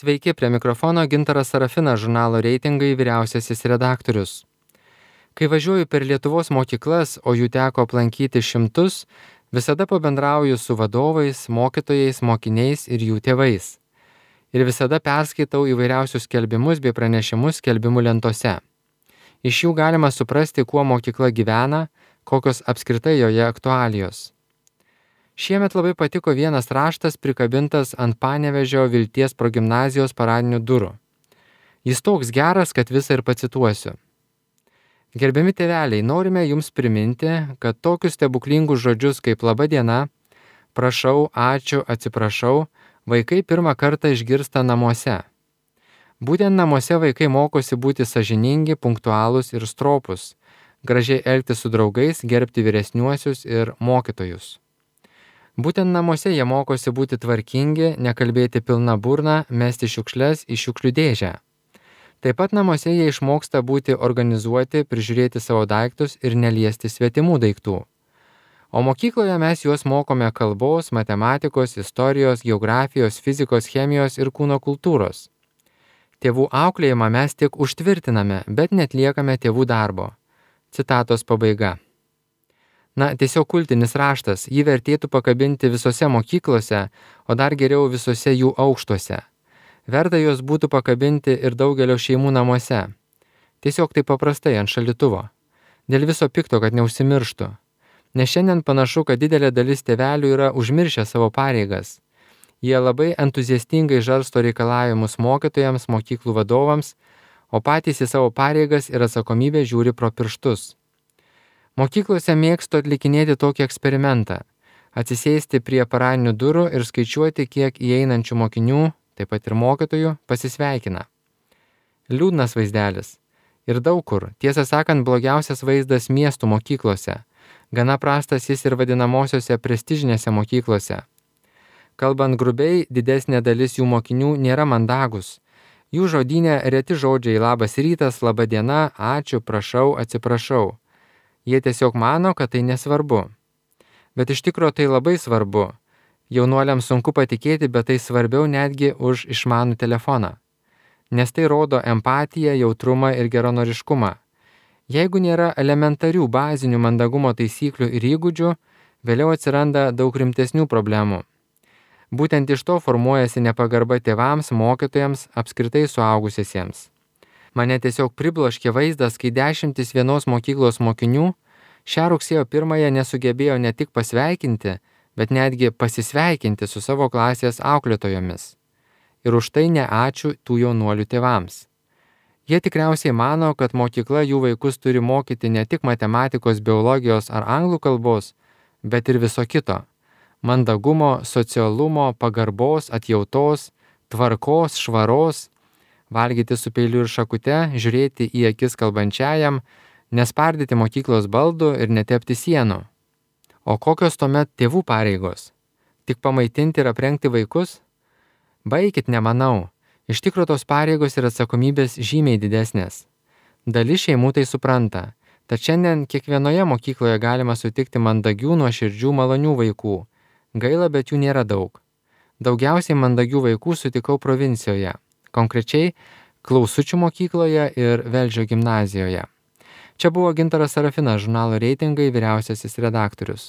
Sveiki, prie mikrofono Gintaras Sarafinas, žurnalo Reitingai vyriausiasis redaktorius. Kai važiuoju per Lietuvos mokyklas, o jų teko aplankyti šimtus, visada pabendrauju su vadovais, mokytojais, mokiniais ir jų tėvais. Ir visada perskaitau įvairiausius skelbimus bei pranešimus skelbimų lentose. Iš jų galima suprasti, kuo mokykla gyvena, kokios apskritai joje aktualijos. Šiemet labai patiko vienas raštas prikabintas ant Panevėžio Vilties progimnazijos paradinių durų. Jis toks geras, kad visą ir pacituosiu. Gerbiami tėveliai, norime jums priminti, kad tokius stebuklingus žodžius kaip laba diena, prašau, ačiū, atsiprašau, vaikai pirmą kartą išgirsta namuose. Būtent namuose vaikai mokosi būti sąžiningi, punktualūs ir stropūs, gražiai elgtis su draugais, gerbti vyresniuosius ir mokytojus. Būtent namuose jie mokosi būti tvarkingi, nekalbėti pilna burna, mesti šiukšles į šiukšlių dėžę. Taip pat namuose jie išmoksta būti organizuoti, prižiūrėti savo daiktus ir neliesti svetimų daiktų. O mokykloje mes juos mokome kalbos, matematikos, istorijos, geografijos, fizikos, chemijos ir kūno kultūros. Tėvų auklėjimą mes tik užtvirtiname, bet netliekame tėvų darbo. Citatos pabaiga. Na, tiesiog kultinis raštas, jį vertėtų pakabinti visose mokyklose, o dar geriau visose jų aukštuose. Verta juos būtų pakabinti ir daugelio šeimų namuose. Tiesiog taip paprastai ant šaldytuvo. Dėl viso pikto, kad neužsimirštų. Nes šiandien panašu, kad didelė dalis tėvelių yra užmiršę savo pareigas. Jie labai entuziastingai žarsto reikalavimus mokytojams, mokyklų vadovams, o patys į savo pareigas ir atsakomybę žiūri pro pirštus. Mokyklose mėgstu atlikinėti tokį eksperimentą – atsisėsti prie paradinių durų ir skaičiuoti, kiek įeinančių mokinių, taip pat ir mokytojų, pasisveikina. Liūdnas vaizdelis. Ir daug kur, tiesą sakant, blogiausias vaizdas miestų mokyklose. Gana prastas jis ir vadinamosiose prestižinėse mokyklose. Kalbant grubiai, didesnė dalis jų mokinių nėra mandagus. Jų žodyne reti žodžiai labas rytas, laba diena, ačiū, prašau, atsiprašau. Jie tiesiog mano, kad tai nesvarbu. Bet iš tikro tai labai svarbu. Jaunuoliams sunku patikėti, bet tai svarbiau netgi už išmanų telefoną. Nes tai rodo empatiją, jautrumą ir geranoriškumą. Jeigu nėra elementarių bazinių mandagumo taisyklių ir įgūdžių, vėliau atsiranda daug rimtesnių problemų. Būtent iš to formuojasi nepagarba tėvams, mokytojams, apskritai suaugusiesiems. Mane tiesiog pribloškė vaizdas, kai dešimtis vienos mokyklos mokinių šią rugsėjo 1 nesugebėjo ne tik pasveikinti, bet netgi pasisveikinti su savo klasės auklėtojomis. Ir už tai ne ačiū tų jaunuolių tėvams. Jie tikriausiai mano, kad mokykla jų vaikus turi mokyti ne tik matematikos, biologijos ar anglų kalbos, bet ir viso kito. Mandagumo, socialumo, pagarbos, atjautos, tvarkos, švaros, valgyti su peiliu ir šakute, žiūrėti į akis kalbančiajam, nespardyti mokyklos baldų ir netepti sienų. O kokios tuomet tėvų pareigos? Tik pamaitinti ir aprengti vaikus? Baikit, nemanau. Iš tikro tos pareigos ir atsakomybės žymiai didesnės. Dalis šeimų tai supranta. Tad šiandien kiekvienoje mokykloje galima sutikti mandagių, nuoširdžių, malonių vaikų. Gaila, bet jų nėra daug. Daugiausiai mandagių vaikų sutikau provincijoje. Konkrečiai Klausučių mokykloje ir Velžio gimnazijoje. Čia buvo Gintaras Sarafinas, žurnalo Reitingai vyriausiasis redaktorius.